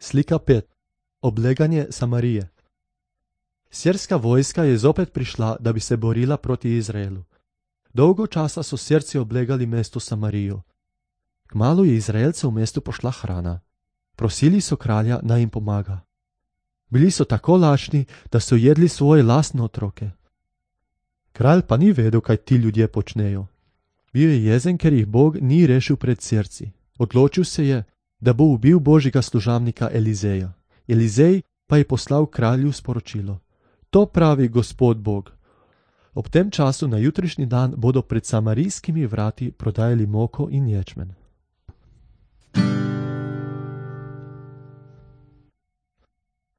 Slika 5. Obleganje Samarije. Sirska vojska je zopet prišla, da bi se borila proti Izraelu. Dolgo časa so Sirci oblegali mesto Samarijo. Kmalu je Izraelce v mestu pošla hrana. Prosili so kralja, naj jim pomaga. Bili so tako lačni, da so jedli svoje lastne otroke. Kralj pa ni vedel, kaj ti ljudje počnejo. Bil je jezen, ker jih Bog ni rešil pred Sirci. Odločil se je, da bo ubil božjega služabnika Elizeja. Elizej pa je poslal kralju sporočilo: To pravi Gospod Bog. Ob tem času na jutrišnji dan bodo pred samarijskimi vrati prodajali moko in ječmen.